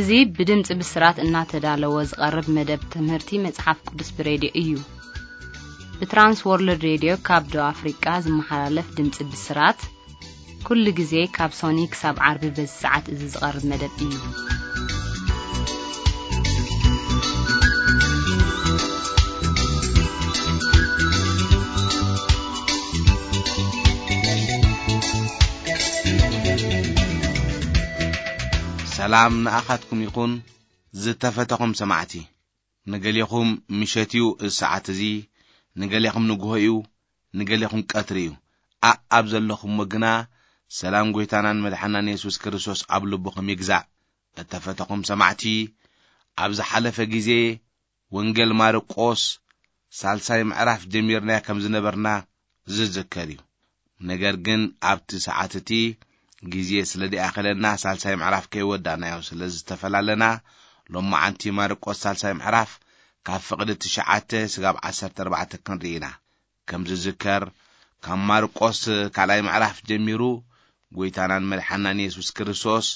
እዚ ብድምጺ ብስራት እናተዳለወ ዝቐርብ መደብ ትምህርቲ መጽሓፍ ቅዱስ ብሬድዮ እዩ። ብትራንስ ወርልድ ሬድዮ ካብ ደቡብ ኣፍሪቃ ዝመሓላለፍ ድምጺ ብስራት፣ ኩሉ ግዜ ካብ ሶኒ ክሳብ ዓርቢ በዚ ሰዓት እዚ ዝቐርብ መደብ እዩ። ሰላም ንኣኻትኩም ይኹን፣ ዝተፈተኹም ሰማዕቲ። ንገሌኹም ምሸት እዩ እዚ ሰዓት እዚ፣ ንገሌኹም ንግሆ እዩ፣ ንገሌኹም ቀትሪ እዩ። ኣእ ኣብ ዘለኹምዎ ግና ሰላም ጐይታናን መድሓናን የሱስ ክርስቶስ ኣብ ልብኹም ይግዛእ። እተፈተኹም ሰማዕቲ፣ ኣብ ዝሓለፈ ግዜ ወንጌል ማርቆስ ሳልሳይ ምዕራፍ ጀሚርናዮ ከም ዝነበርና ዝዝከር እዩ። ነገር ግን ኣብቲ ሰዓት እቲ ግዜ ስለ ደኣኸለና ሳልሳይ ምዕራፍ ከይወዳእናዮ ስለ ዝተፈላለና፣ ሎማዓንቲ ማርቆስ ሳልሳይ ምዕራፍ ካብ ፍቕዲ ትሽዓተ ስጋብ ዓሰርተ ኣርባዕተ ክንርኢ ኢና። ከም ዝዝከር፣ ካብ ማርቆስ ካልኣይ ምዕራፍ ጀሚሩ፣ ጐይታናን መድሓናን የሱስ ክርስቶስ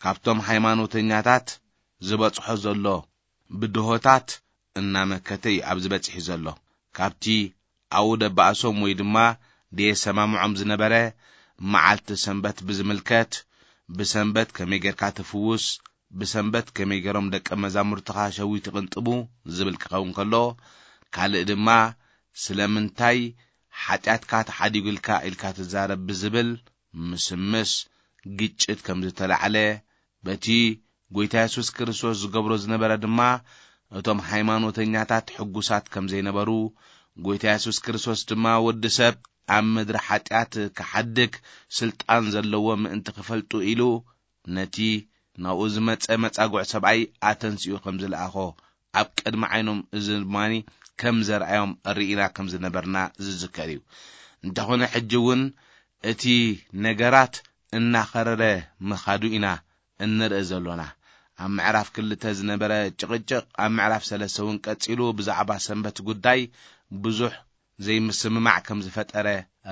ካብቶም ሃይማኖተኛታት ዝበጽሖ ዘሎ ብድሆታት እናመከተ እዩ ኣብዚ በጺሑ ዘሎ። ካብቲ ኣውደ ባእሶም ወይ ድማ ደየሰማምዖም ዝነበረ መዓልቲ ሰንበት ብዝምልከት፣ ብሰንበት ከመይ ጌርካ ትፍውስ፣ ብሰንበት ከመይ ገይሮም ደቀ መዛሙርትኻ ሸዊት ይቕንጥቡ ዝብል ክኸውን ከሎ፣ ካልእ ድማ ስለምንታይ ሓጢኣትካ ተሓዲጉልካ ኢልካ ትዛረብ ብዝብል ምስምስ ግጭት ከም ዝተላዕለ፣ በቲ ጐይታ የሱስ ክርስቶስ ዝገብሮ ዝነበረ ድማ እቶም ሃይማኖተኛታት ሕጉሳት ከም ዘይነበሩ፣ ጐይታ የሱስ ክርስቶስ ድማ ወዲ ሰብ ኣብ ምድሪ ሓጢኣት ክሓድግ ስልጣን ዘለዎ ምእንቲ ክፈልጡ ኢሉ ነቲ ናብኡ ዝመጸ መጻጉዕ ሰብኣይ ኣተንሲኡ ከም ዝለኣኾ ኣብ ቅድሚ ዓይኖም እዚ ድማኒ ከም ዘርኣዮም ርኢና ከም ዝነበርና ዝዝከር እዩ። እንተኾነ ሕጂ እውን እቲ ነገራት እናኸረረ ምኻዱ ኢና እንርኢ ዘሎና። ኣብ ምዕራፍ ክልተ ዝነበረ ጭቕጭቕ ኣብ ምዕራፍ ሰለስተ እውን ቀጺሉ ብዛዕባ ሰንበት ጉዳይ ብዙሕ ዘይምስምማዕ ከም ዝፈጠረ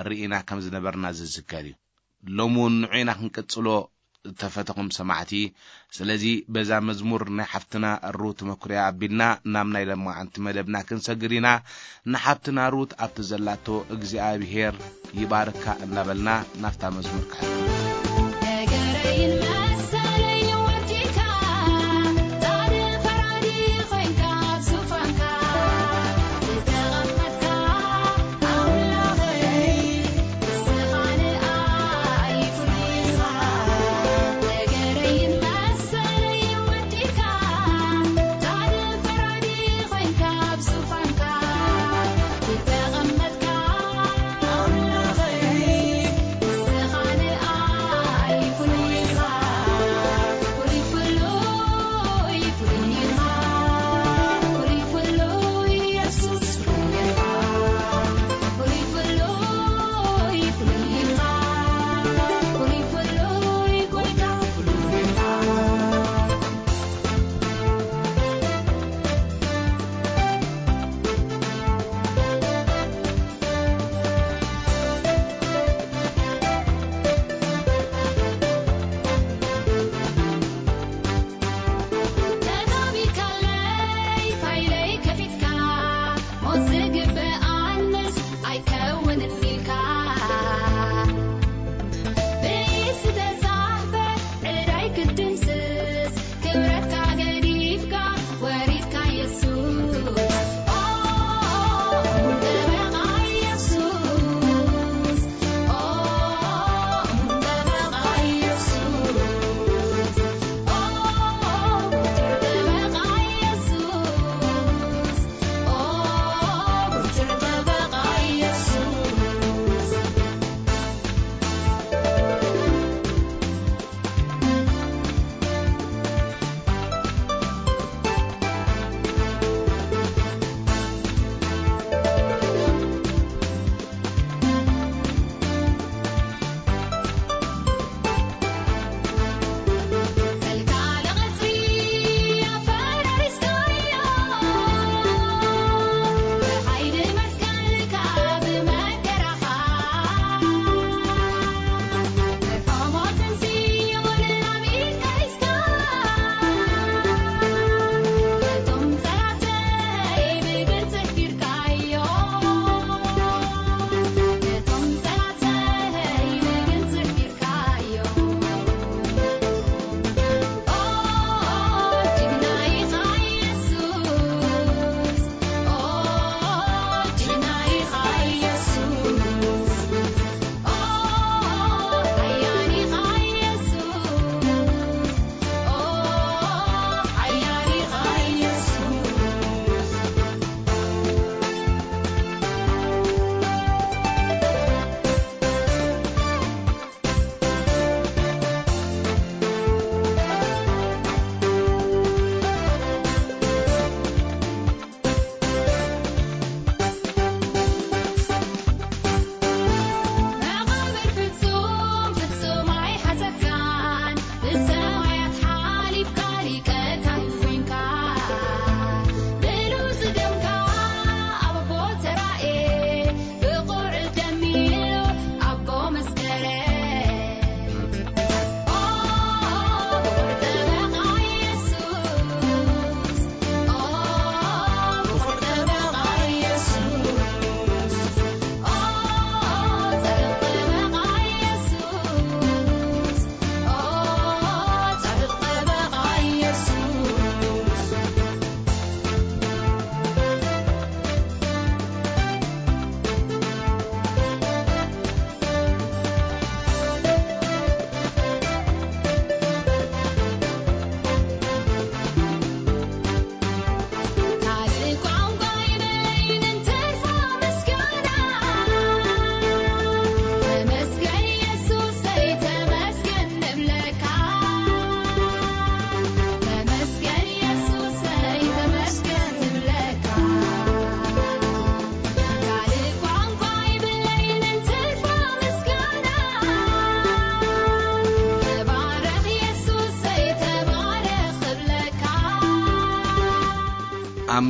ርኢና ከም ዝነበርና ዝዝከር እዩ። ሎሚ እውን ንዑ ኢና ክንቅጽሎ እተፈተኹም ሰማዕቲ። ስለዚ በዛ መዝሙር ናይ ሓፍትና ሩት መኩርያ ኣቢልና ናብ ናይ ለማዓንቲ መደብና ክንሰግር ኢና። ንሓፍትና ሩት ኣብቲ ዘላቶ እግዚኣብሔር ይባርካ እናበልና ናብታ መዝሙር ክሕልፍ። ነገረይን መሰለይ ወዲካ፣ ጻድቕ ፈራዲ ኮይንካ ኣብ ዙፋንካ ዝተቐመጥካ ኣምላኸይ፣ ንስኻ ንኣይ ኩሉ ኢኻ። ነገረይን መሰለይ ወዲካ፣ ጻድቕ ፈራዲ ኮይንካ ኣብ ዙፋንካ ዝተቐመጥካ ኣምላኸይ፣ ንስኻ ንኣይ ኩሉ ኢኻ።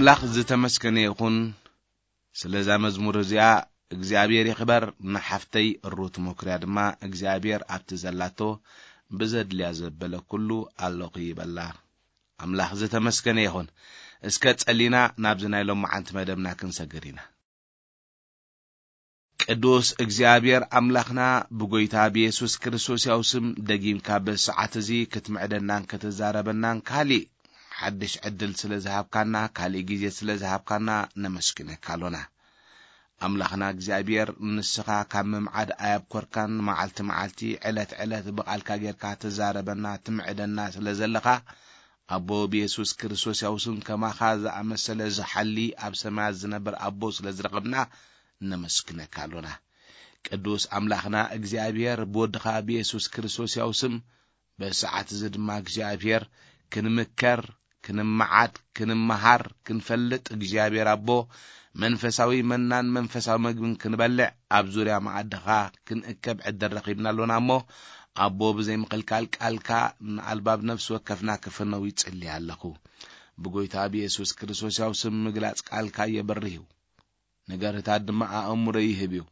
ኣምላኽ ዝተመስገነ ይኹን። ስለዛ መዝሙር እዚኣ እግዚኣብሔር ይኽበር። ንሓፍተይ ሩት መኩርያ ድማ እግዚኣብሔር ኣብቲ ዘላቶ ብዘድልያ ዘበለ ኩሉ ኣለኹ ይበላ። ኣምላኽ ዝተመስገነ ይኹን። እስከ ጸሊና ናብዚ ናይ ሎማዓንቲ መደብና ክንሰግር ኢና። ቅዱስ እግዚኣብሔር ኣምላኽና፣ ብጎይታ ብየሱስ ክርስቶስ ያው ስም ደጊምካ በዚ ሰዓት እዚ ክትምዕደናን ክትዛረበናን ካሊእ ሓድሽ ዕድል ስለ ዝሃብካና፣ ካሊእ ግዜ ስለ ዝሃብካና ነመስግነካ ኣሎና። ኣምላኽና እግዚኣብሔር፣ ንስኻ ካብ ምምዓድ ኣያብኮርካን፣ መዓልቲ መዓልቲ፣ ዕለት ዕለት ብቓልካ ጌርካ ትዛረበና፣ ትምዕደና ስለ ዘለኻ፣ ኣቦ ብየሱስ ክርስቶስ ያው ስም ከማኻ ዝኣመሰለ ዝሓሊ ኣብ ሰማያት ዝነብር ኣቦ ስለ ዝረኸብና ነመስግነካ ኣሎና። ቅዱስ ኣምላኽና እግዚኣብሔር፣ ብወድኻ ብየሱስ ክርስቶስ ያው ስም በዚ ሰዓት እዚ ድማ እግዚኣብሔር ክንምከር፣ ክንመዓድ፣ ክንመሃር፣ ክንፈልጥ እግዚኣብሔር ኣቦ መንፈሳዊ መናን መንፈሳዊ መግብን ክንበልዕ ኣብ ዙርያ መኣድኻ ክንእከብ ዕድል ረኺብና ኣሎና እሞ ኣቦ ብዘይ ምኽልካል ቃልካ ንኣልባብ ነፍሲ ወከፍና ክፍነው ይጽሊ ኣለኹ። ብጎይታ ብየሱስ ክርስቶስ ያው ስም ምግላጽ ቃልካ የበርህ እዩ። ነገርታት ድማ ኣእምሮ ይህብ እዩ።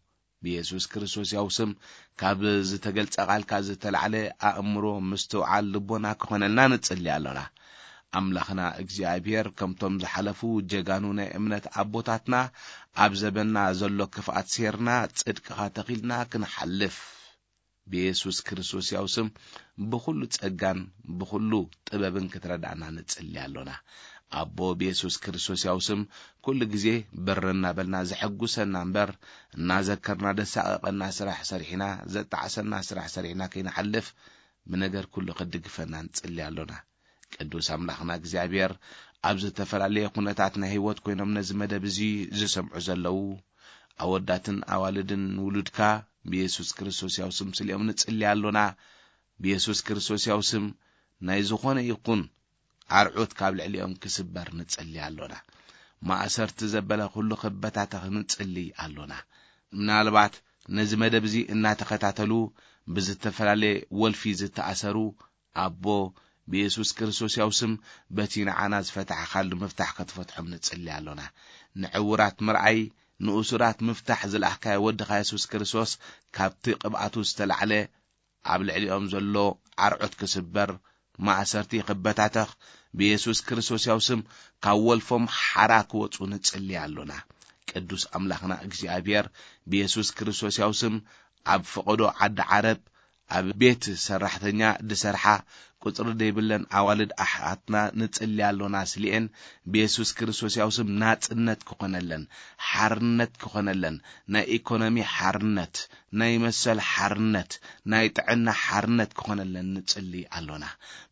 ብየሱስ ክርስቶስ ያው ስም ካብ ዝተገልጸ ቃልካ ዝተላዕለ ኣእምሮ ምስትውዓል ልቦና ክኾነልና ንጽሊ ኣሎና። ኣምላኽና እግዚኣብሔር ከምቶም ዝሓለፉ ጀጋኑ ናይ እምነት ኣቦታትና ኣብ ዘበንና ዘሎ ክፍኣት ሴርና ጽድቅኻ ተኺልና ክንሓልፍ ብየሱስ ክርስቶስ ያው ስም ብኹሉ ጸጋን ብኹሉ ጥበብን ክትረዳእና ንጽሊ ኣሎና። ኣቦ ብየሱስ ክርስቶስ ያው ስም ኩሉ ግዜ ብር እናበልና ዘሐጉሰና እምበር እናዘከርና ደሳቐቐና ስራሕ ሰሪሕና ዘጣዕሰና ስራሕ ሰሪሕና ከይንሓልፍ ብነገር ኩሉ ክትድግፈና ንጽሊ ኣሎና። ቅዱስ ኣምላኽና እግዚኣብሔር ኣብ ዝተፈላለየ ኩነታት ናይ ህይወት ኮይኖም ነዚ መደብ እዚ ዝሰምዑ ዘለዉ ኣወዳትን ኣዋልድን ውሉድካ ብየሱስ ክርስቶስ ያው ስም ስሊኦም ንጽሊ ኣሎና። ብየሱስ ክርስቶስ ያው ስም ናይ ዝኾነ ይኹን ኣርዑት ካብ ልዕሊኦም ክስበር ንጽሊ ኣሎና። ማእሰርቲ ዘበለ ኩሉ ክበታተኽ ንጽሊ ኣሎና። ምናልባት ነዚ መደብ እዚ እናተኸታተሉ ብዝተፈላለየ ወልፊ ዝተኣሰሩ ኣቦ ብየሱስ ክርስቶስ ያው ስም በቲ ንዓና ዝፈታሕኻሉ ምፍታሕ ክትፈትሖም ንጽሊ ኣሎና። ንዕውራት ምርኣይ፣ ንእሱራት ምፍታሕ ዝለኣኽካዮ ወድኻ የሱስ ክርስቶስ ካብቲ ቅብኣቱ ዝተላዕለ ኣብ ልዕሊኦም ዘሎ ኣርዑት ክስበር፣ ማእሰርቲ ክበታተኽ፣ ብየሱስ ክርስቶስ ያው ስም ካብ ወልፎም ሓራ ክወጹ ንጽሊ ኣሎና። ቅዱስ ኣምላኽና እግዚኣብሔር ብየሱስ ክርስቶስ ያው ስም ኣብ ፈቐዶ ዓዲ ዓረብ ኣብ ቤት ሰራሕተኛ ድሰርሓ ቁጽሪ ደይብለን ኣዋልድ ኣሓትና ንጽሊ ኣሎና ስሊኤን ብየሱስ ክርስቶስ ያው ስም ናጽነት ክኾነለን፣ ሓርነት ክኾነለን፣ ናይ ኢኮኖሚ ሓርነት፣ ናይ መሰል ሓርነት፣ ናይ ጥዕና ሓርነት ክኾነለን ንጽሊ ኣሎና።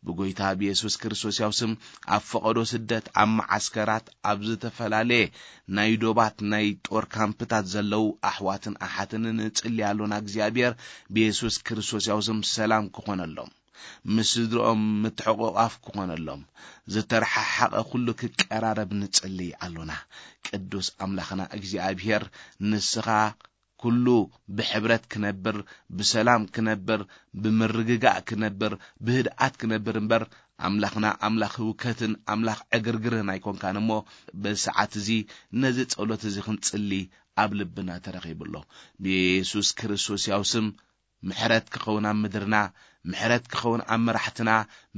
ብጎይታ ብየሱስ ክርስቶስ ያው ስም ኣብ ፈቐዶ ስደት፣ ኣብ መዓስከራት፣ ኣብ ዝተፈላለየ ናይ ዶባት ናይ ጦር ካምፕታት ዘለዉ ኣሕዋትን ኣሓትን ንጽሊ ኣሎና። እግዚኣብሔር ብየሱስ ክርስቶስ ያው ስም ሰላም ክኾነሎም፣ ምስ ስድርኦም ምትሕቑቓፍ ክኾነሎም፣ ዝተረሓሓቐ ኩሉ ክቀራረብ ንጽሊ ኣሎና። ቅዱስ ኣምላኽና እግዚኣብሔር ንስኻ ኩሉ ብሕብረት ክነብር፣ ብሰላም ክነብር፣ ብምርግጋእ ክነብር፣ ብህድኣት ክነብር እምበር ኣምላኽና ኣምላኽ ህውከትን ኣምላኽ ዕግርግርን ኣይኮንካን እሞ በዚ ሰዓት እዚ ነዚ ጸሎት እዚ ክንጽሊ ኣብ ልብና ተረኺቡ ኣሎ። ብየሱስ ክርስቶስ ያው ስም ምሕረት ክኸውን ኣብ ምድርና፣ ምሕረት ክኸውን ኣብ መራሕትና፣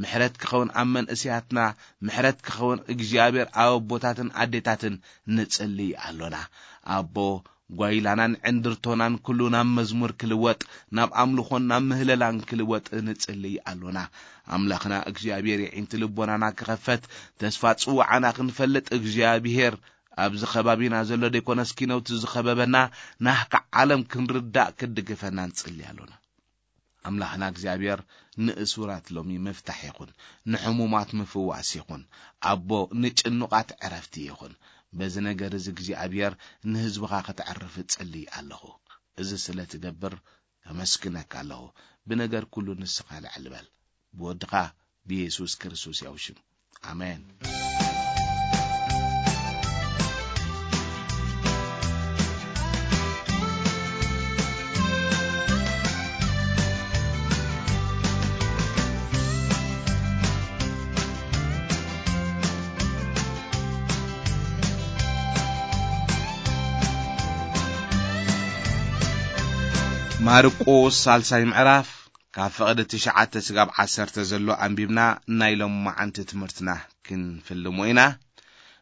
ምሕረት ክኸውን ኣብ መንእሰያትና፣ ምሕረት ክኸውን እግዚኣብሔር ኣብ ኣቦታትን ኣዴታትን ንጽልይ ኣሎና። ኣቦ ጓይላናን ዕንድርቶናን ኩሉ ናብ መዝሙር ክልወጥ፣ ናብ ኣምልኾን ናብ ምህለላን ክልወጥ ንጽልይ ኣሎና። ኣምላኽና እግዚኣብሔር የዒንቲ ልቦናና ክኸፈት፣ ተስፋ ጽዋዓና ክንፈልጥ እግዚኣብሔር ኣብዚ ከባቢና ዘሎ ደይኮነስ ኪነውቲ ዝኸበበና ናህካ ዓለም ክንርዳእ ክድግፈና ንጽሊ ኣሎና። ኣምላኽና እግዚኣብሔር ንእሱራት ሎሚ ምፍታሕ ይኹን፣ ንሕሙማት ምፍዋስ ይኹን፣ ኣቦ ንጭኑቓት ዕረፍቲ ይኹን። በዚ ነገር እዚ እግዚኣብሔር ንህዝብኻ ከተዕርፍ እጽሊ ኣለኹ። እዚ ስለ ትገብር ከመስግነካ ኣለኹ። ብነገር ኩሉ ንስኻ ልዕል በል። ብወድኻ ብየሱስ ክርስቶስ ያው ሽም። ኣሜን። ማርቆስ ሳልሳይ ምዕራፍ፣ ካብ ፍቕዲ ትሽዓተ ስጋብ ዓሰርተ ዘሎ ኣንቢብና ናይ ሎማዓንቲ ትምህርትና ክንፍልሞ ኢና።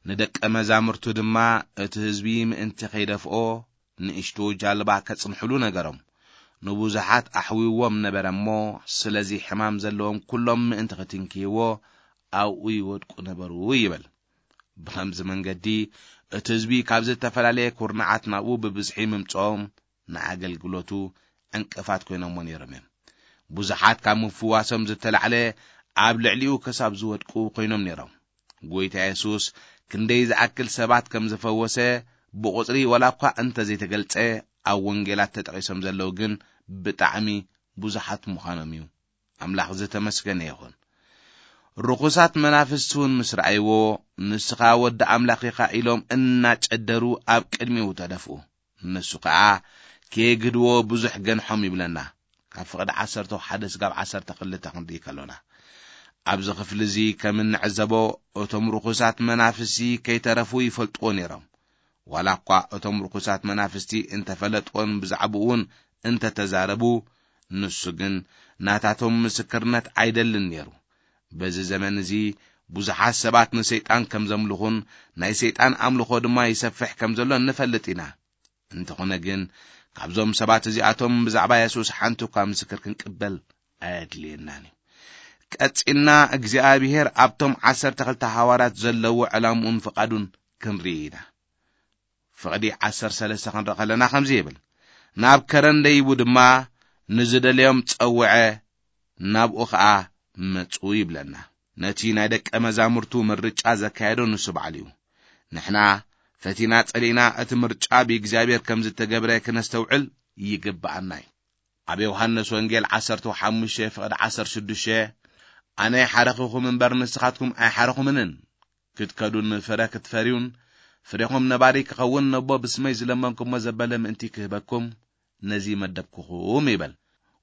ንደቀ መዛሙርቱ ድማ እቲ ህዝቢ ምእንቲ ከይደፍኦ ንእሽቶ ጃልባ ከጽንሕሉ ነገሮም። ንብዙሓት ኣሕዊዎም ነበረ እሞ፣ ስለዚ ሕማም ዘለዎም ኩሎም ምእንቲ ክትንክይዎ ኣብኡ ይወድቁ ነበሩ ይብል። ብኸምዚ መንገዲ እቲ ህዝቢ ካብ ዝተፈላለየ ኩርናዓት ናብኡ ብብዝሒ ምምጽኦም ንኣገልግሎቱ ዕንቅፋት ኮይኖሞ ነይሮም እዮም። ብዙሓት ካብ ምፍዋሶም ዝተላዕለ ኣብ ልዕሊኡ ክሳብ ዝወድቁ ኮይኖም ነይሮም። ጎይታ የሱስ ክንደይ ዝኣክል ሰባት ከም ዝፈወሰ ብቑጽሪ ዋላ እኳ እንተ ዘይተገልጸ፣ ኣብ ወንጌላት ተጠቒሶም ዘለዉ ግን ብጣዕሚ ብዙሓት ምዃኖም እዩ። ኣምላኽ ዝተመስገነ ይኹን። ርኹሳት መናፍስቲ እውን ምስ ረኣይዎ፣ "ንስኻ ወዲ ኣምላኽ ኢኻ" ኢሎም እናጨደሩ ኣብ ቅድሚኡ ተደፍኡ። ንሱ ከኣ ከየግህድዎ ብዙሕ ገንሖም ይብለና። ካብ ፍቕዲ ዓሰርተ ሓደ ስጋብ ዓሰርተ ክልተ ክንርኢ ከሎና፣ ኣብዚ ክፍሊ እዚ ከም እንዕዘቦ፣ እቶም ርኹሳት መናፍስቲ ከይተረፉ ይፈልጥዎ ነይሮም። ዋላ እኳ እቶም ርኹሳት መናፍስቲ እንተፈለጥዎን ብዛዕባኡ እውን እንተተዛረቡ፣ ንሱ ግን ናታቶም ምስክርነት ኣይደልን ነይሩ። በዚ ዘመን እዚ ብዙሓት ሰባት ንሰይጣን ከም ዘምልኹን ናይ ሰይጣን ኣምልኾ ድማ ይሰፍሕ ከም ዘሎ ንፈልጥ ኢና። እንተኾነ ግን፣ ካብዞም ሰባት እዚኣቶም ብዛዕባ የሱስ ሓንቲ እኳ ምስክር ክንቅበል ኣየድልየናን እዩ። ቀጺልና እግዚኣብሄር ኣብቶም ዓሰርተ ክልተ ሃዋርያት ዘለዎ ዕላምኡን ፍቓዱን ክንርኢ ኢና። ፍቕዲ ዓሰርተ ሰለስተ ክንርኢ ከለና ከምዚ ይብል፣ "ናብ ከረን ደይቡ ድማ ንዝደለዮም ጸውዐ፣ ናብኡ ኸኣ መጹ" ይብለና። ነቲ ናይ ደቀ መዛሙርቱ ምርጫ ዘካየዶ ንሱ ባዕሉ እዩ። ንሕና ፈቲና ጸሊእና እቲ ምርጫ ብእግዚኣብሔር ከም ዝተገብረ ክነስተውዕል ይግብኣና እዩ። ኣብ ዮሃንስ ወንጌል ዓሰርተ ሓሙሽተ ፍቕዲ ዓሰርተ ሽዱሽተ፣ "ኣነ ሓረኽኹም እምበር ንስኻትኩም ኣይሓረኹምንን። ክትከዱን ፍረ ክትፈርዩን ፍሬኹም ነባሪ ክኸውን ነቦ ብስመይ ዝለመንኩሞ ዘበለ ምእንቲ ክህበኩም ነዚ መደብኩኹም" ይበል።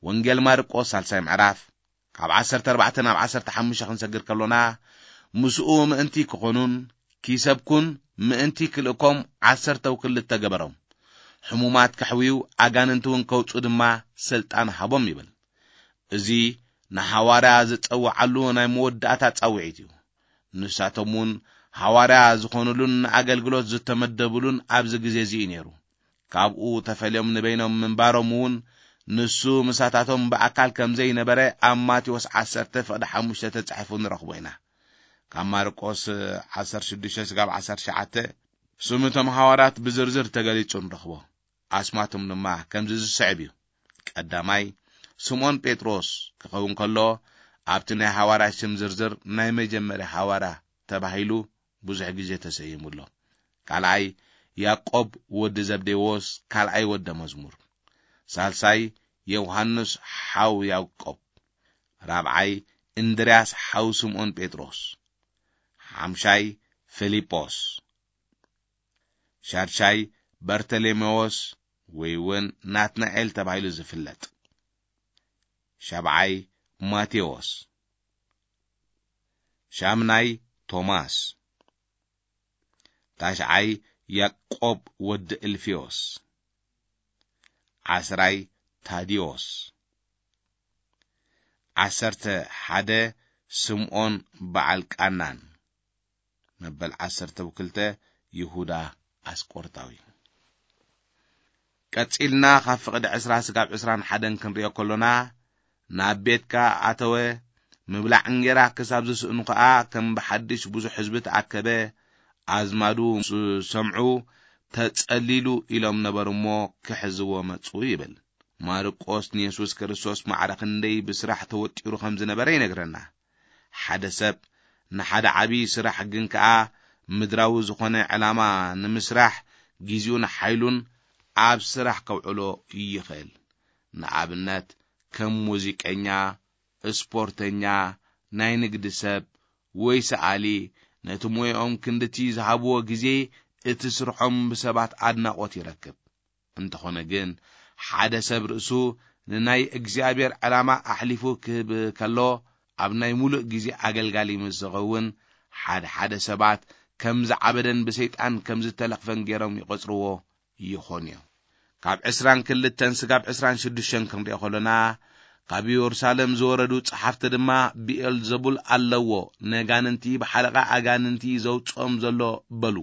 ወንጌል ማርቆስ ሳልሳይ ምዕራፍ ካብ ዓሰርተ ኣርባዕተ ናብ ዓሰርተ ሓሙሽተ ክንሰግር ከሎና፣ "ምስኡ ምእንቲ ክኾኑን ኪሰብኩን ምእንቲ ክልእኮም ዓሰርተው ክልተ ገበሮም። ሕሙማት ከሕውዩ ኣጋንንቲ እውን ከውጽኡ ድማ ስልጣን ሃቦም" ይብል። እዚ ንሃዋርያ ዝጸውዓሉ ናይ መወዳእታ ጻውዒት እዩ። ንሳቶም እውን ሃዋርያ ዝኾኑሉን ንኣገልግሎት ዝተመደቡሉን ኣብዚ ግዜ እዚ እዩ ነይሩ። ካብኡ ተፈልዮም ንበይኖም ምንባሮም እውን ንሱ ምሳታቶም ብኣካል ከም ዘይነበረ ኣብ ማቴዎስ ዓሰርተ ፍቕዲ ሓሙሽተ ተጻሒፉ ንረኽቦ ኢና። ካብ ማርቆስ ዓሰርተ ሽዱሽተ ስጋብ ዓሰርተ ትሽዓተ ስም እቶም ሃዋርያት ብዝርዝር ተገሊጹ ንረኽቦ። ኣስማቶም ድማ ከምዚ ዝስዕብ እዩ። ቀዳማይ፣ ስምዖን ጴጥሮስ ክኸውን ከሎ፣ ኣብቲ ናይ ሃዋርያት ስም ዝርዝር ናይ መጀመርያ ሃዋርያ ተባሂሉ ብዙሕ ግዜ ተሰይሙ ኣሎ። ካልኣይ፣ ያዕቆብ ወዲ ዘብዴዎስ፣ ካልኣይ ወደ መዝሙር። ሳልሳይ፣ ዮሃንስ ሓው ያዕቆብ። ራብዓይ፣ እንድርያስ ሓው ስምዖን ጴጥሮስ። ሓምሻይ፣ ፊልጶስ። ሻድሻይ፣ በርተሌሜዎስ ወይ እውን ናትናኤል ተባሂሉ ዝፍለጥ። ሻብዓይ፣ ማቴዎስ። ሻምናይ፣ ቶማስ። ታሽዓይ፣ ያዕቆብ ወዲ እልፊዮስ። ዓስራይ፣ ታዲዮስ። ዓሰርተ ሓደ፣ ስምዖን በዓል ቃናን። መበል ዓሰርተ ክልተ፣ ይሁዳ ኣስቆርጣዊ። ቀጺልና ካብ ፍቕዲ ዕስራ ስጋብ ዕስራን ሓደን ክንሪኦ ከሎና፣ ናብ ቤትካ ኣተወ፣ ምብላዕ እንጌራ ክሳብ ዝስእኑ ከኣ ከም ብሓድሽ ብዙሕ ህዝቢ ተኣከበ። ኣዝማዱ ምስ ሰምዑ፣ "ተጸሊሉ" ኢሎም ነበሩ እሞ ክሕዝዎ መጹ ይብል። ማርቆስ ንየሱስ ክርስቶስ ማዕረ ክንደይ ብስራሕ ተወጢሩ ከም ዝነበረ ይነግረና። ሓደ ሰብ ንሓደ ዓቢ ስራሕ ግን ከኣ ምድራዊ ዝኾነ ዕላማ ንምስራሕ ግዜኡን ሓይሉን ኣብ ስራሕ ከውዕሎ ይኽእል። ንኣብነት ከም ሙዚቀኛ፣ ስፖርተኛ፣ ናይ ንግዲ ሰብ ወይ ሰኣሊ ነቲ ሞያኦም ክንድቲ ዝሃብዎ ግዜ እቲ ስርሖም ብሰባት ኣድናቖት ይረክብ። እንተኾነ ግን ሓደ ሰብ ርእሱ ንናይ እግዚኣብሔር ዕላማ ኣሕሊፉ ክህብ ከሎ ኣብ ናይ ሙሉእ ግዜ ኣገልጋሊ ምስ ዝኸውን ሓደ ሓደ ሰባት ከም ዝዓበደን ብሰይጣን ከም ዝተለኽፈን ገይሮም ይቖጽርዎ ይኾኑ እዮም። ካብ ዕስራን ክልተን ስጋብ ዕስራን ሽዱሽተን ክንሪኦ ከሎና፣ ካብ ኢየሩሳሌም ዝወረዱ ጸሓፍቲ ድማ ብኤልዘቡል ኣለዎ፣ ነጋንንቲ ብሓለቓ ኣጋንንቲ ዘውጽኦም ዘሎ በሉ።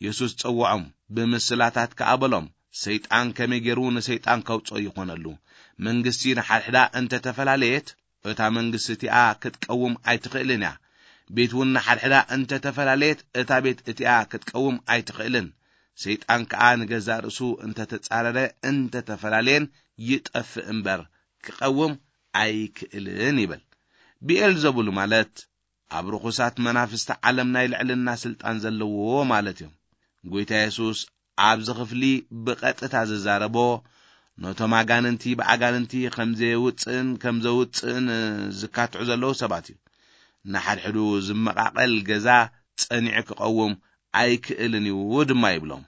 የሱስ ጸውዖም፣ ብምስላታት ከኣ በሎም፣ ሰይጣን ከመይ ገይሩ ንሰይጣን ከውጽኦ ይኾነሉ? መንግስቲ ንሓድሕዳ እንተ ተፈላለየት፣ እታ መንግስቲ እቲኣ ክትቀውም ኣይትኽእልን እያ። ቤት እውን ንሓድሕዳ እንተ ተፈላለየት፣ እታ ቤት እቲኣ ክትቀውም ኣይትኽእልን። ሰይጣን ከኣ ንገዛእ ርእሱ እንተ ተጻረረ፣ እንተ ተፈላለየን ይጠፍእ እምበር፣ ክቐውም ኣይክእልን ይብል። ብኤልዘቡል ማለት ኣብ ርኹሳት መናፍስቲ ዓለም ናይ ልዕልና ስልጣን ዘለዎ ማለት እዩ። ጎይታ የሱስ ኣብዚ ክፍሊ ብቐጥታ ዝዛረቦ፣ ነቶም ኣጋንንቲ ብኣጋንንቲ ከም ዘየውጽእን ከም ዘውጽእን ዝካትዑ ዘለዉ ሰባት እዩ። ንሓድሕዱ ዝመቓቐል ገዛ ጸኒዑ ክቐውም ኣይክእልን እዩ ድማ ይብሎም።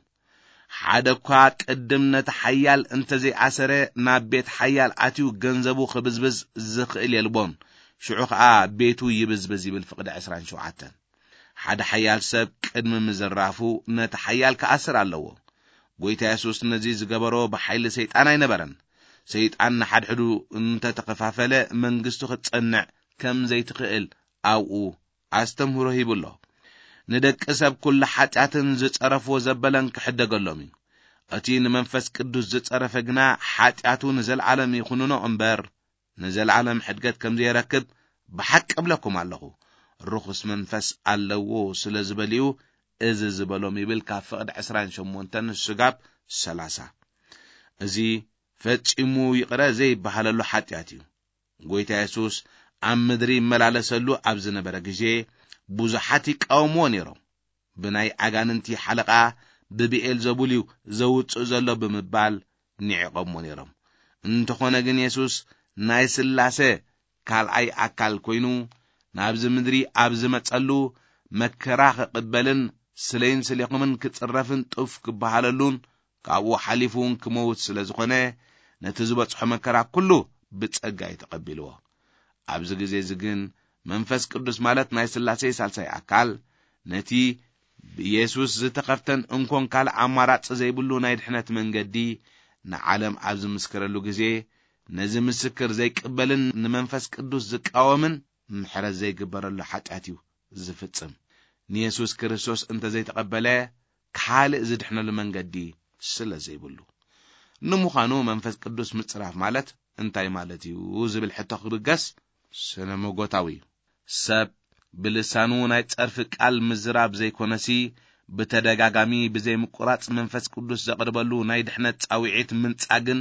ሓደ እኳ ቅድም ነቲ ሓያል እንተ ዘይኣሰረ፣ ናብ ቤት ሓያል ኣትዩ ገንዘቡ ክብዝብዝ ዝኽእል የልቦን። ሽዑ ኸኣ ቤቱ ይብዝብዝ ይብል ፍቕዲ ዕስራን ሸውዓተን። ሓደ ሓያል ሰብ ቅድሚ ምዝራፉ ነቲ ሓያል ክኣስር ኣለዎ። ጎይታ የሱስ ነዚ ዝገበሮ ብሓይሊ ሰይጣን ኣይነበረን። ሰይጣን ንሓድሕዱ እንተ ተኸፋፈለ፣ መንግስቱ ክትጸንዕ ከም ዘይትኽእል ኣብኡ ኣስተምህሮ ሂቡ ኣሎ። ንደቂ ሰብ ኩሉ ሓጢኣትን ዝጸረፍዎ ዘበለን ክሕደገሎም እዩ። እቲ ንመንፈስ ቅዱስ ዝጸረፈ ግና ሓጢኣቱ ንዘለዓለም ይኹንኖ እምበር፣ ንዘለዓለም ሕድገት ከም ዘይረክብ ብሓቂ እብለኩም ኣለኹ። ርኹስ መንፈስ ኣለዎ ስለ ዝበልኡ እዚ ዝበሎም ይብል፣ ካብ ፍቕዲ ዕስራን ሸሞንተን ስጋብ ሰላሳ። እዚ ፈጺሙ ይቕረ ዘይበሃለሉ ሓጢኣት እዩ። ጎይታ የሱስ ኣብ ምድሪ ይመላለሰሉ ኣብ ዝነበረ ግዜ፣ ብዙሓት ይቃወምዎ ነይሮም። ብናይ ኣጋንንቲ ሓለቓ ብብኤልዘቡል እዩ ዘውጽእ ዘሎ ብምባል ንዒቖሞ ነይሮም። እንተኾነ ግን የሱስ ናይ ስላሴ ካልኣይ ኣካል ኮይኑ ናብዚ ምድሪ ኣብ ዝመጸሉ፣ መከራ ክቕበልን ስለይን ስሌኹምን ክጽረፍን ጡፍ ክበሃለሉን ካብኡ ሓሊፉ እውን ክመውት ስለ ዝኾነ፣ ነቲ ዝበጽሖ መከራ ኩሉ ብጸጋ እዩ ተቐቢልዎ። ኣብዚ ግዜ እዚ ግን መንፈስ ቅዱስ ማለት ናይ ስላሴ ሳልሳይ ኣካል ነቲ ብኢየሱስ ዝተኸፍተን እንኮን ካልእ ኣማራጺ ዘይብሉ ናይ ድሕነት መንገዲ ንዓለም ኣብ ዝምስክረሉ ግዜ፣ ነዚ ምስክር ዘይቅበልን ንመንፈስ ቅዱስ ዝቃወምን ምሕረት ዘይግበረሉ ሓጢኣት እዩ ዝፍጽም። ንየሱስ ክርስቶስ እንተ ዘይተቐበለ፣ ካልእ ዝድሕነሉ መንገዲ ስለ ዘይብሉ። ንምዃኑ መንፈስ ቅዱስ ምጽራፍ ማለት እንታይ ማለት እዩ ዝብል ሕቶ ክብገስ ስነ መጎታዊ እዩ። ሰብ ብልሳኑ ናይ ጸርፊ ቃል ምዝራብ ዘይኮነሲ፣ ብተደጋጋሚ ብዘይምቁራጽ መንፈስ ቅዱስ ዘቕርበሉ ናይ ድሕነት ጻውዒት ምንጻግን፣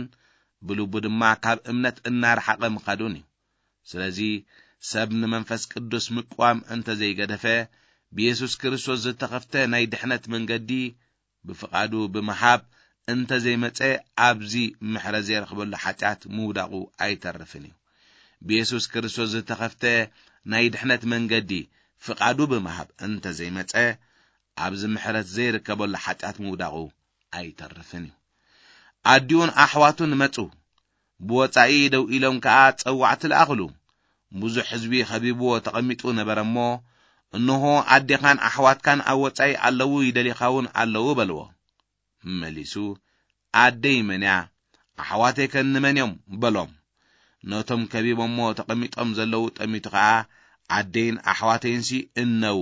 ብልቡ ድማ ካብ እምነት እናረሓቐ ምኻዱን እዩ። ስለዚ ሰብ ንመንፈስ ቅዱስ ምቅዋም እንተ ዘይገደፈ፣ ብየሱስ ክርስቶስ ዝተኸፍተ ናይ ድሕነት መንገዲ ብፍቓዱ ብምሃብ እንተ ዘይመጸ፣ ኣብዚ ምሕረት ዘይረኽበሉ ሓጢኣት ምውዳቑ ኣይተርፍን እዩ። ብየሱስ ክርስቶስ ዝተኸፍተ ናይ ድሕነት መንገዲ ፍቓዱ ብምሃብ እንተ ዘይመጸ፣ ኣብዚ ምሕረት ዘይርከበሉ ሓጢኣት ምውዳቑ ኣይተርፍን እዩ። ኣዲኡን ኣሕዋቱን መጹ። ብወጻኢ ደው ኢሎም ከኣ ጸዋዕቲ ለኣኽሉ። ብዙሕ ህዝቢ ኸቢብዎ ተቐሚጡ ነበረ እሞ፣ እንሆ፣ ኣዴኻን ኣሕዋትካን ኣብ ወጻኢ ኣለዉ፣ ይደልዩኻ እውን ኣለዉ በልዎ። መሊሱ፣ ኣደይ መን እያ? ኣሕዋተይከ እንመን እዮም? በሎም። ነቶም ከቢቦሞ ተቐሚጦም ዘለዉ ጠሚቱ ኸኣ፣ ኣደይን ኣሕዋተይንሲ እነው፣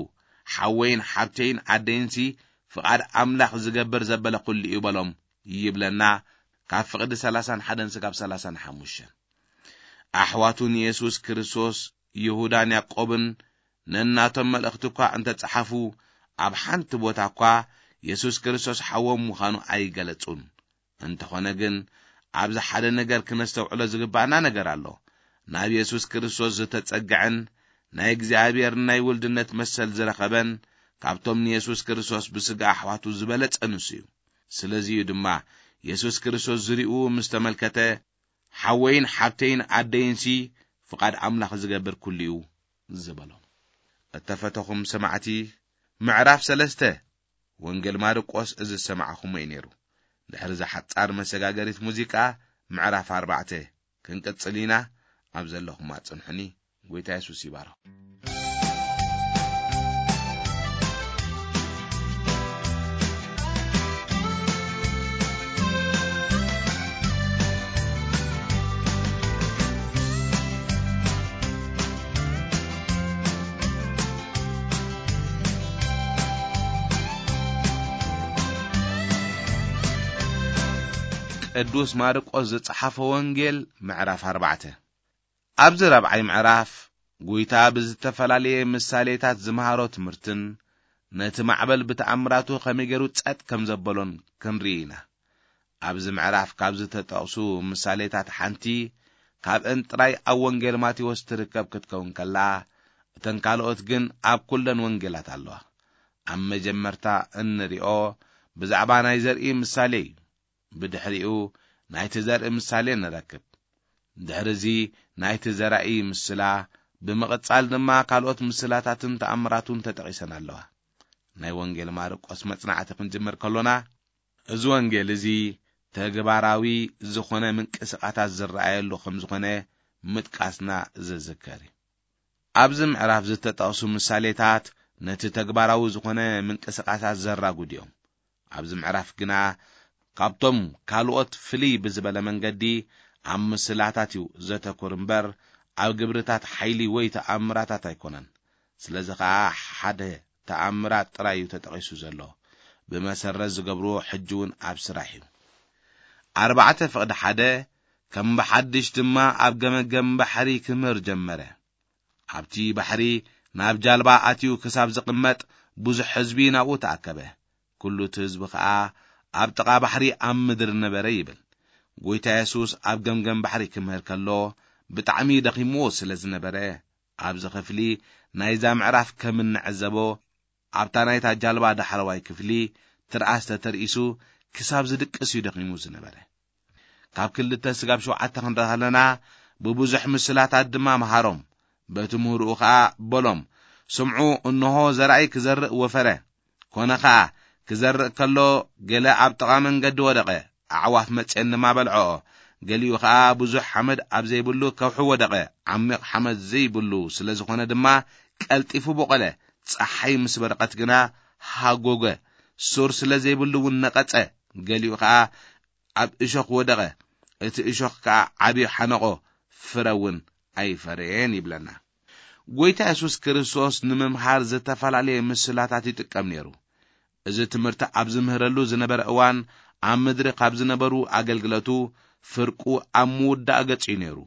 ሓወይን ሓብተይን ኣደይንሲ ፍቓድ ኣምላኽ ዝገብር ዘበለ ኩሉ እዩ በሎም ይብለና፣ ካብ ፍቕዲ ሰላሳን ሓደን ስጋብ ሰላሳን ሓሙሽተን። ኣሕዋቱ ንየሱስ ክርስቶስ ይሁዳን ያዕቆብን ነናቶም መልእኽቲ እኳ እንተ ጸሓፉ፣ ኣብ ሓንቲ ቦታ እኳ የሱስ ክርስቶስ ሓዎም ምዃኑ ኣይገለጹን። እንተኾነ ግን፣ ኣብዚ ሓደ ነገር ክነስተውዕሎ ዝግባእና ነገር ኣሎ። ናብ የሱስ ክርስቶስ ዝተጸግዐን ናይ እግዚኣብሔር ናይ ውልድነት መሰል ዝረኸበን፣ ካብቶም ንየሱስ ክርስቶስ ብስጋ ኣሕዋቱ ዝበለጸ ንሱ እዩ። ስለዚ እዩ ድማ የሱስ ክርስቶስ ዝሪኡ ምስ ተመልከተ፣ ሓወይን ሓብተይን ኣደይንሲ ፍቓድ ኣምላኽ ዝገብር ኩሉ እዩ ዝበሎም። እተፈተኹም ሰማዕቲ፣ ምዕራፍ ሰለስተ ወንጌል ማርቆስ እዚ ዝሰማዕኹሞ እዩ ነይሩ። ድሕሪ እዛ ሓጻር መሰጋገሪት ሙዚቃ፣ ምዕራፍ ኣርባዕተ ክንቅጽል ኢና። ኣብ ዘለኹም ኣጽንሑኒ። ጎይታ የሱስ ይባርኽ። ቅዱስ ማርቆስ ዝጸሓፈ ወንጌል ምዕራፍ ኣርባዕተ። ኣብዚ ራብዓይ ምዕራፍ፣ ጐይታ ብዝተፈላለየ ምሳሌታት ዝመሃሮ ትምህርትን ነቲ ማዕበል ብተኣምራቱ ከመይ ገይሩ ጸጥ ከም ዘበሎን ክንርኢ ኢና። ኣብዚ ምዕራፍ ካብ ዝተጠቕሱ ምሳሌታት ሓንቲ፣ ካብአን ጥራይ ኣብ ወንጌል ማቴዎስ ትርከብ ክትከውን ከላ፣ እተን ካልኦት ግን ኣብ ኩለን ወንጌላት ኣለዋ። ኣብ መጀመርታ እንሪኦ ብዛዕባ ናይ ዘርኢ ምሳሌ እዩ። ብድሕሪኡ ናይቲ ዘርኢ ምሳሌ ንረክብ። ድሕሪ እዚ ናይቲ ዘራኢ ምስላ፣ ብምቕጻል ድማ ካልኦት ምስላታትን ተኣምራቱን ተጠቒሰን ኣለዋ። ናይ ወንጌል ማርቆስ መጽናዕቲ ክንጅምር ከሎና፣ እዚ ወንጌል እዚ ተግባራዊ ዝኾነ ምንቅስቓሳት ዝረኣየሉ ከም ዝኾነ ምጥቃስና ዝዝከር እዩ። ኣብዚ ምዕራፍ ዝተጠቕሱ ምሳሌታት ነቲ ተግባራዊ ዝኾነ ምንቅስቓሳት ዘራጉድ እዮም። ኣብዚ ምዕራፍ ግና ካብቶም ካልኦት ፍልይ ብዝበለ መንገዲ ኣብ ምስላታት እዩ ዘተኩር እምበር፣ ኣብ ግብርታት ሓይሊ ወይ ተኣምራታት ኣይኮነን። ስለዚ ኸኣ ሓደ ተኣምራት ጥራይ እዩ ተጠቒሱ ዘሎ። ብመሰረት ዝገብርዎ ሕጂ እውን ኣብ ስራሕ እዩ። ኣርባዕተ ፍቕዲ ሓደ፣ ከም ብሓድሽ ድማ ኣብ ገመገም ባሕሪ ክምህር ጀመረ። ኣብቲ ባሕሪ ናብ ጃልባ ኣትዩ ክሳብ ዝቕመጥ ብዙሕ ህዝቢ ናብኡ ተኣከበ። ኩሉ እቲ ህዝቢ ኸኣ ኣብ ጥቓ ባሕሪ ኣብ ምድሪ ነበረ ይብል። ጐይታ የሱስ ኣብ ገምገም ባሕሪ ክምህር ከሎ ብጣዕሚ ደኺምዎ ስለ ዝነበረ፣ ኣብዚ ኽፍሊ ናይዛ ምዕራፍ ከም እንዕዘቦ፣ ኣብታ ናይታ ጃልባ ዳሕረዋይ ክፍሊ ትርኣስ ተተርኢሱ ክሳብ ዝድቅስ እዩ ደኺሙ ዝነበረ። ካብ ክልተ ስጋብ ሸውዓተ ክንርኢ ከለና፣ ብብዙሕ ምስላታት ድማ መሃሮም። በቲ ምህርኡ ኸኣ በሎም፣ ስምዑ፣ እንሆ ዘራኢ ክዘርእ ወፈረ። ኮነ ኸኣ፣ ክዘርእ ከሎ ገለ ኣብ ጥቓ መንገዲ ወደቐ፣ ኣዕዋፍ መጺአን ድማ በልዐኦ። ገሊኡ ኸኣ ብዙሕ ሓመድ ኣብ ዘይብሉ ከውሒ ወደቐ፣ ዓሚቕ ሓመድ ዘይብሉ ስለ ዝኾነ ድማ ቀልጢፉ ቦቐለ። ጸሓይ ምስ በረቐት ግና ሃጎገ፣ ሱር ስለ ዘይብሉ እውን ነቐጸ። ገሊኡ ኸኣ ኣብ እሾኽ ወደቐ፣ እቲ እሾኽ ከኣ ዓብዩ ሓነቖ፣ ፍረ እውን ኣይፈረየን ይብለና። ጐይታ የሱስ ክርስቶስ ንምምሃር ዝተፈላለየ ምስላታት ይጥቀም ነይሩ። እዚ ትምህርቲ ኣብ ዝምህረሉ ዝነበረ እዋን፣ ኣብ ምድሪ ካብ ዝነበሩ ኣገልግለቱ ፍርቁ ኣብ ምውዳእ ገጽ እዩ ነይሩ።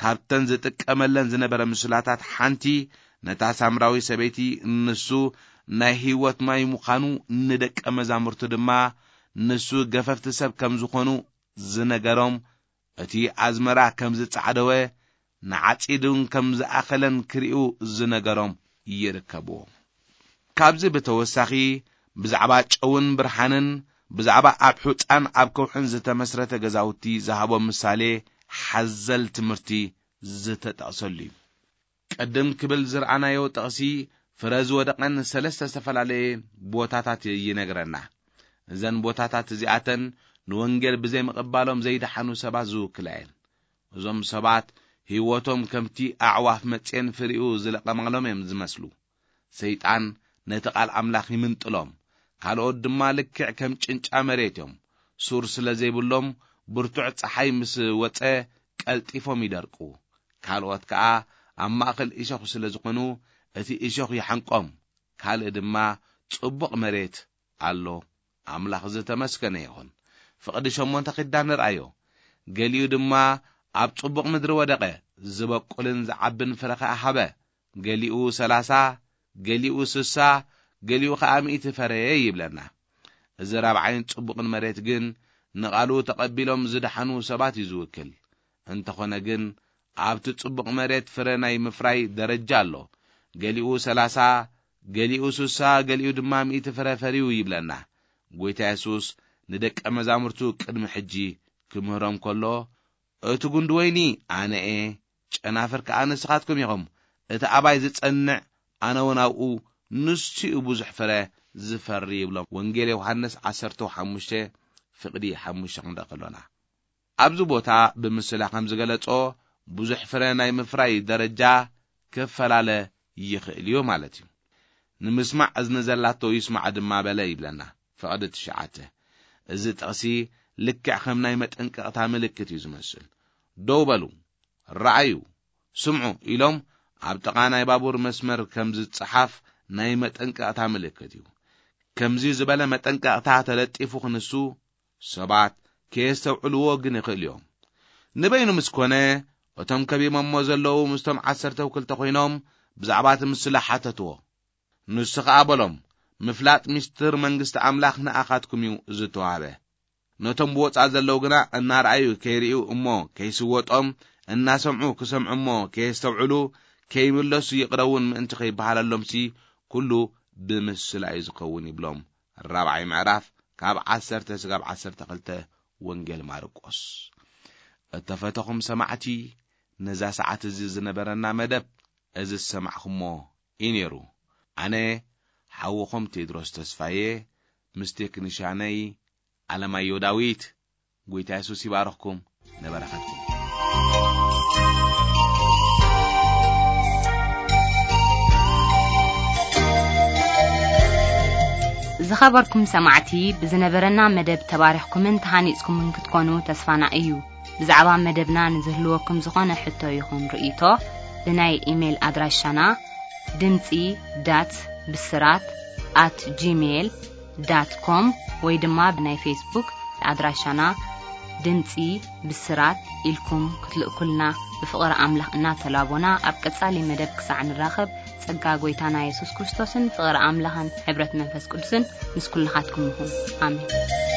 ካብተን ዝጥቀመለን ዝነበረ ምስላታት ሓንቲ፣ ነታ ሳምራዊ ሰበይቲ፣ ንሱ ናይ ህይወት ማይ ምዃኑ፣ ንደቀ መዛሙርቱ ድማ ንሱ ገፈፍቲ ሰብ ከም ዝኾኑ ዝነገሮም፣ እቲ ኣዝመራ ከም ዝጻዕደወ፣ ንዓጺዱን ከም ዝኣኸለን ክሪኡ ዝነገሮም ይርከብዎ። ካብዚ ብተወሳኺ፣ ብዛዕባ ጨውን ብርሃንን፣ ብዛዕባ ኣብ ሑጻን ኣብ ከውሕን ዝተመስረተ ገዛውቲ ዝሃቦ ምሳሌ ሓዘል ትምህርቲ ዝተጠቕሰሉ እዩ። ቅድም ክብል ዝረኣናዮ ጥቕሲ፣ ፍረ ዝወደቐን ሰለስተ ዝተፈላለየን ቦታታት ይነግረና። እዘን ቦታታት እዚኣተን ንወንጌል ብዘይምቕባሎም ዘይደሓኑ ሰባት ዝውክላ እየን። እዞም ሰባት ህይወቶም ከምቲ ኣዕዋፍ መጽየን ፍሪኡ ዝለቐማሎም እዮም ዝመስሉ። ሰይጣን ነቲ ቃል ኣምላኽ ይምንጥሎም። ካልኦት ድማ ልክዕ ከም ጭንጫ መሬት እዮም። ሱር ስለ ዘይብሎም፣ ብርቱዕ ጸሓይ ምስ ወጸ ቀልጢፎም ይደርቁ። ካልኦት ከኣ ኣብ ማእከል እሾኽ ስለ ዝኾኑ፣ እቲ እሾኽ ይሓንቆም። ካልእ ድማ ጽቡቕ መሬት ኣሎ። ኣምላኽ ዝተመስገነ ይኹን። ፍቕዲ ሸሞንተ ኪዳን ንርኣዮ። ገሊኡ ድማ ኣብ ጽቡቕ ምድሪ ወደቐ፣ ዝበቁልን ዝዓብን ፍረ ኸኣ ሃበ። ገሊኡ ሰላሳ፣ ገሊኡ ስሳ፣ ገሊኡ ኸኣ ሚእቲ ፈረየ ይብለና። እዚ ራብዓይን ጽቡቕን መሬት ግን ንቓሉ ተቐቢሎም ዝደሓኑ ሰባት እዩ ዝውክል። እንተኾነ ግን ኣብቲ ጽቡቕ መሬት ፍረ ናይ ምፍራይ ደረጃ ኣሎ። ገሊኡ ሰላሳ፣ ገሊኡ ስሳ፣ ገሊኡ ድማ ሚእቲ ፍረ ፈርዩ ይብለና። ጐይታ የሱስ ንደቀ መዛሙርቱ ቅድሚ ሕጂ ክምህሮም ከሎ፣ እቲ ጉንዲ ወይኒ ኣነ እየ፣ ጨናፍር ከኣ ንስኻትኩም ኢኹም። እቲ ኣባይ ዝጸንዕ ኣነ እውን ኣብኡ፣ ንሱ እዩ ብዙሕ ፍረ ዝፈሪ ይብሎም። ወንጌል ዮሃንስ ዓሰርተ ሓሙሽተ ፍቕዲ ሓሙሽተ ክንርኢ ከሎና። ኣብዚ ቦታ ብምስላ ከም ዝገለጾ፣ ብዙሕ ፍረ ናይ ምፍራይ ደረጃ ክፈላለ ይኽእል እዩ ማለት እዩ። ንምስማዕ እዝኒ ዘላቶ ይስማዕ ድማ በለ ይብለና። ፍቕዲ ትሽዓተ። እዚ ጥቕሲ ልክዕ ከም ናይ መጠንቀቕታ ምልክት እዩ ዝመስል። ደው በሉ፣ ረኣዩ፣ ስምዑ ኢሎም ኣብ ጥቓ ናይ ባቡር መስመር ከም ዝጸሓፍ ናይ መጠንቀቕታ ምልክት እዩ። ከምዚ ዝበለ መጠንቀቕታ ተለጢፉ ክንሱ ሰባት ከየስተውዕልዎ ግን ይኽእሉ እዮም። ንበይኑ ምስ ኮነ፣ እቶም ከቢቦሞ ዘለዉ ምስቶም ዓሰርተ ክልተ ኮይኖም ብዛዕባ እቲ ምስላ ሓተትዎ። ንሱ ኸኣ በሎም፣ "ምፍላጥ ሚስጥር መንግስቲ ኣምላኽ ንኣኻትኩም እዩ ዝተዋህበ። ነቶም ብወጻእ ዘለዉ ግና እናረኣዩ ከይርእዩ እሞ ከይስወጦም፣ እናሰምዑ ክሰምዑ እሞ ከየስተውዕሉ፣ ከይምለሱ ይቕረ እውን ምእንቲ ከይበሃለሎምሲ፣ ኩሉ ብምስላ እዩ ዝኸውን" ይብሎም። ራብዓይ ምዕራፍ ካብ ዓሰርተ ስጋብ ዓሰርተ ክልተ ወንጌል ማርቆስ። እተፈተኹም ሰማዕቲ፣ ነዛ ሰዓት እዚ ዝነበረና መደብ እዚ ዝሰማዕኹሞ እዩ ነይሩ። ኣነ ሓውኹም ቴድሮስ ተስፋዬ፣ ምስ ቴክኒሻነይ ኣለማዮ ዳዊት። ጎይታ የሱስ ይባርኽኩም፣ ንበረኸትኩም። ዝኸበርኩም ሰማዕቲ፣ ብዝነበረና መደብ ተባሪኽኩምን ተሃኒጽኩምን ክትኮኑ ተስፋና እዩ። ብዛዕባ መደብና ንዝህልወኩም ዝኾነ ሕቶ ይኹን ርእይቶ፣ ብናይ ኢሜይል ኣድራሻና ድምጺ ዳት ብስራት ኣት ጂሜይል ዳት ኮም ወይ ድማ ብናይ ፌስቡክ ኣድራሻና ድምጺ ብስራት ኢልኩም ክትልእኩልና ብፍቕሪ ኣምላኽ እናተላቦና፣ ኣብ ቀጻሊ መደብ ክሳዕ ንራኸብ፣ ጸጋ ጎይታና የሱስ ክርስቶስን ፍቕሪ ኣምላኽን ሕብረት መንፈስ ቅዱስን ምስ ኩልኻትኩም ይኹን። ኣሜን።